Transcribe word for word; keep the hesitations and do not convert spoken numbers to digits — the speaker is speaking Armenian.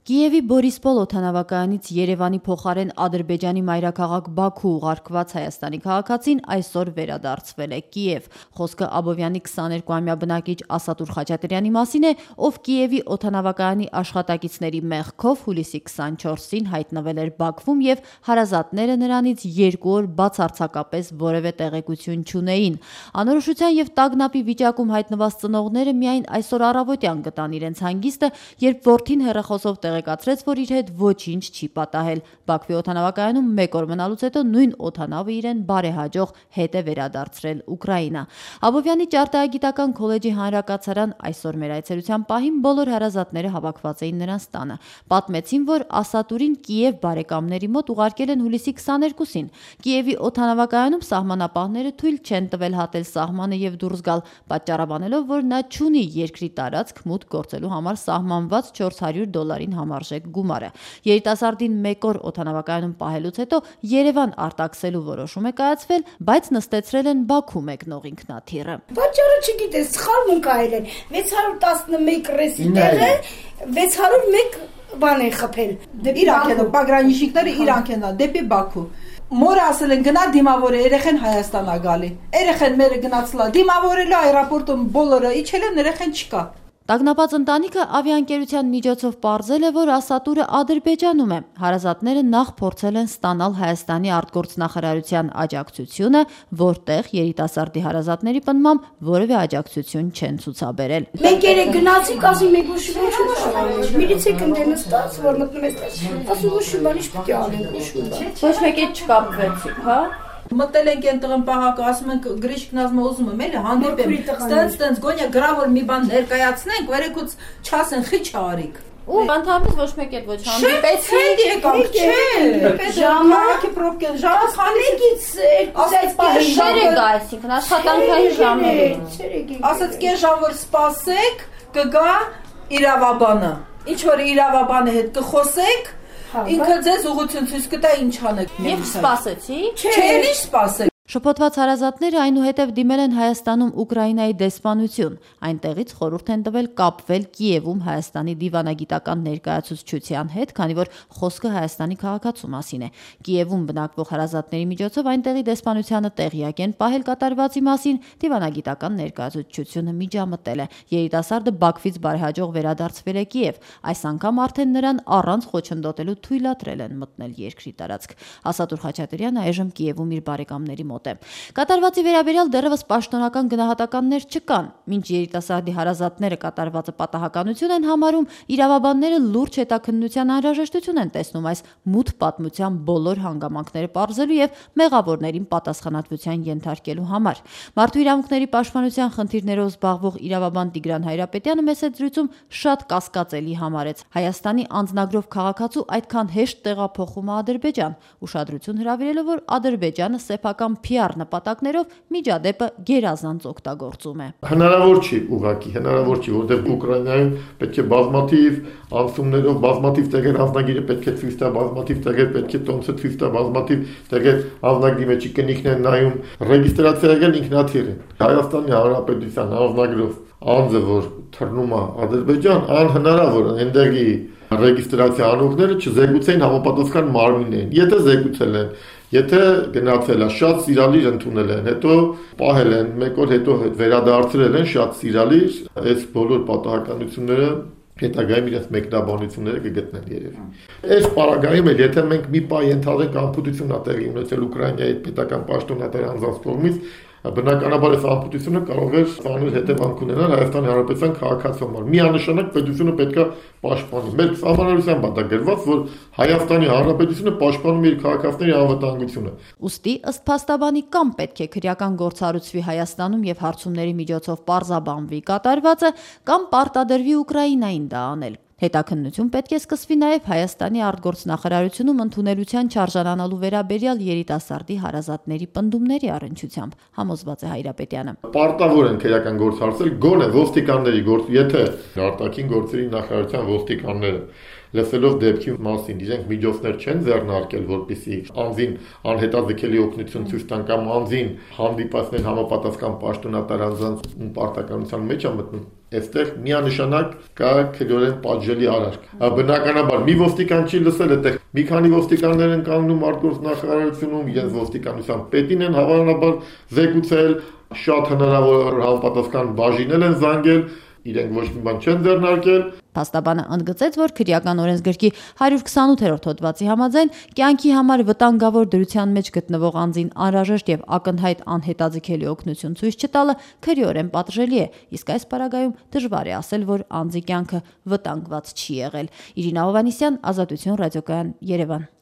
Կիևի Բորիսպոլ օդանավակայանից Երևանի փոխարեն Ադրբեջանի մայրաքաղաք Բաքու ուղարկված Հայաստանի քաղաքացին այսօր վերադարձվել է Կիև։ Խոսքը Աբովյանի քսաներկուամյա բնակիչ Ասատուր Խաչատրյանի մասին է, ով Կիևի օդանավակայանի աշխատակիցների մեղքով հուլիսի քսանչորսին հայտնվել էր Բաքվում եւ հարազատները նրանից երկու օր բացարձակապես որևէ տեղեկություն չունեին։ Անորոշության եւ տագնապի վիճակում հայտնված ծնողները միայն այսօր առավոտյան գտան իրենց հանգիստը, երբ որդին հեռախոսով տեղեկացրեց, որ իր հետ ոչինչ չի պատահել։ Բաքվի օդանավակայանում մեկ օր մնալուց հետո նույն օդանավը իրեն բարեհաջող հետ է վերադարձրել Ուկրաինա։ Աբովյանի ճարտարագիտական քոլեջի հանրակացարան այսօր մեր այցելության պահին բոլոր հարազատները հավաքված էին նրանց տանը։ Պատմեցին, որ Ասատուրին Կիև բարեկամների մոտ ուղարկել են հուլիսի քսաներկուսին։ Կիևի օդանավակայանում սահմանապահները թույլ չեն տվել հատել սահմանը եւ դուրս գալ, պատճառաբանելով, որ նա չունի երկրի տարածք մուտք գործելու համար սահմանված չորս հարյուր դոլարին համարժեք գումարը։ Երիտասարդին մեկ օր օդանավակայանում պահելուց հետո Երևան արտաքսելու որոշում է կայացվել, բայց նստեցրել են Բաքու մեկնող ինքնաթիռը։ Պատճառը չգիտես, սխալ մունքայել են։ վեց հարյուր տասնմեկ ռեսի տեղը վեց հարյուր մեկ բան են խփել։ Իրանք են, պագրանիշիկները իրանք են դեպի Բաքու։ Մորը ասել են գնա դիմավորը, երեխեն Հայաստան ա գալի։ Երեխեն մերը գնացլա դիմավորելու այրապորտում բոլորը իջել են, երեխեն չկա։ Տագնապած ընտանիքը ավիաընկերության միջոցով պարզել է, որ Ասատուրը Ադրբեջանում է։ Հարազատները նախ փորձել են ստանալ Հայաստանի արտգործնախարարության աջակցությունը, որտեղ երիտասարդի հարազատների պնդմամբ որևէ աջակցություն չեն ցուցաբերել։ Մենք երեք գնացինք, ասի մեկ ոչ ոչ միլիցիան դե նստած, որ մտնում ես, ասում ոչ բան ինչ պետք է անենք, ոչ բան։ Ոչ մեկ էլ չկապվեցիք, հա։ Մտել ենք այն տղան պահակը, ասում ենք գրիշկն ասում ուզում եմ էլի հանդիպեմ, ստենց ստենց գոնյա գրավոր մի բան ներկայացնենք, երեկոց չասեն խիչ արիք։ Ու ընդհանրապես ոչ մեկ էլ ոչ հանդիպեցին, եկանք, չէ։ Ժամանակի պրոբկեն, ժամը խանեկից ասած կես ժամը գայսինքն աշխատանքային ժամերին։ Ասած կես ժամ որ սպասեք, կգա իրավաբանը։ Ինչ որ իրավաբանը հետ կխոսեք, ինքը ձեզ ուղղություն ցույց կտա ինչ անեք։ Եվ սպասեցի։ Չէ, ինչ սպասեք։ Շփոթված հարազատները այնուհետև դիմել են Հայաստանում Ուկրաինայի դեսպանություն։ Այնտեղից խորհուրդ են տվել կապվել Կիևում Հայաստանի դիվանագիտական ներկայացուցչության հետ, քանի որ խոսքը Հայաստանի քաղաքացու մասին է։ Կիևում բնակվող հարազատների միջոցով այնտեղի դեսպանությանը տեղյակ են պահել կատարվածի մասին, դիվանագիտական ներկայացուցչությունը միջամտել է։ Երիտասարդը Բաքվից բարեհաջող վերադարձվել է Կիև։ Այս անգամ արդեն նրան առանց խոչընդոտելու թույլատրել են մտնել երկրի տարածք։ Ասատուր Խաչատրյանը այժմ Կիևում իր բարեկամների մոտ է։ Կատարվածի վերաբերյալ դեռևս պաշտոնական գնահատականներ չկան։ Մինչ երիտասարդի հարազատները կատարվածը պատահականություն են համարում, իրավաբանները լուրջ հետաքննության անհրաժեշտություն են տեսնում այս մութ պատմության բոլոր հանգամանքները պարզելու եւ մեղավորներին պատասխանատվության ենթարկելու համար։ Մարդու իրավունքների պաշտպանության խնդիրներով զբաղվող իրավաբան Տիգրան Հայրապետյանը մեծ զրույցում շատ կասկածելի համարեց Հայաստանի անձնագրով քաղաքացու այդքան հեշտ տեղափոխումը Ադրբեջան, ուշադրություն հրավիրելով, որ Ադրբեջանը սեփական փի ար նպատակներով միջադեպը գերազանց օգտագործում է։ Հնարավոր չի ուղղակի, հնարավոր չի, որտեղ Ուկրաինայում պետք է բազմաթիվ անցումներով, բազմաթիվ տեղեր անձնագիրը պետք է ցույց տա, բազմաթիվ տեղեր պետք է տոմսը ցույց տա, բազմաթիվ տեղեր անձնագրի մեջի կնիքն են նայում, ռեգիստրացիա եղել ինքնաթիռ է։ Հայաստանի Հանրապետության անձնագրով անձը, որ թռնում է Ադրբեջան, անհնարավոր է այնտեղի ռեգիստրացիա անողները չզեկուցեին համապատասխան մարմիններին։ Եթե զեկուցել են, եթե գնացել է, շատ սիրալիր ընդունել են, հետո պահել են, մեկ օր հետո վերադարձրել են շատ սիրալիր, այս բոլոր պատահականությունները հետագայում իրենց մեկնաբանությունները կգտնեն երևի։ Այս պարագայում էլ եթե մենք մի պահ ենթադրենք անպուտություն ա տեղի ունեցել Ուկրաինայի պետական պաշտոնատար անձանց կողմից, բնականաբար այս անպուտությունը կարող է ծանր հետևանք ունենալ Հայաստանի Հանրապետության քաղաքացու համար։ Միանշանակ պետությունը պետք է պաշտպանի։ Մեր սահմանադրությամբ է դա գրված, որ Հայաստանի Հանրապետությունը պաշտպանում է իր քաղաքացիների անվտանգությունը։ Ուստի ըստ փաստաբանի կամ պետք է քրեական գործառույցվի Հայաստանում եւ հարցումների միջոցով պարզաբանվի կատարվածը, կամ պարտադրվի Ուկրաինային դա անել։ Հետաքննություն պետք է սկսվի նաև Հայաստանի արտգործնախարարությունում ընդունելության չարժանանալու վերաբերյալ երիտասարդի հարազատների պնդումների առնչությամբ, համոզված է Հայրապետյանը։ Պարտավոր են քրեական գործ հարցել գոնե ոստիկանների գործ, եթե արտաքին գործերի նախարարության ոստիկանները լսելով դեպքի մասին, իրենք միջոցներ չեն ձեռնարկել, որպեսզի անձին անհետաձգելի օգնություն ցույց տան կամ անձին հանդիպացնեն համապատասխան պաշտոնատար անձանց պարտականության մեջ է մտնում։ Այստեղ միանշանակ կա քրեորեն պատժելի արարք։ Բնականաբար մի ոստիկան չի լսել, այդտեղ մի քանի ոստիկաններ են կանգնում արտգործնախարարությունում, իրենց ոստիկանության պետին են հավանաբար զեկուցել, շատ հնարավոր համապատասխան բաժինել են զանգել, իրենք ոչ մի բան չեն ձեռնարկել։ Փաստաբանը ընդգծեց, որ քրեական օրենսգրքի հարյուր քսանութերորդ հոդվածի համաձայն կյանքի համար վտանգավոր դրության մեջ գտնվող անձին անհրաժեշտ եւ ակնհայտ անհետաձգելի օգնություն ցույց չտալը քրեորեն պատժելի է, իսկ այս պարագայում դժվար է ասել, որ անձի կյանքը վտանգված չի եղել։ Իրինա Հովհաննիսյան, Ազատություն ռադիոկայան, Երևան։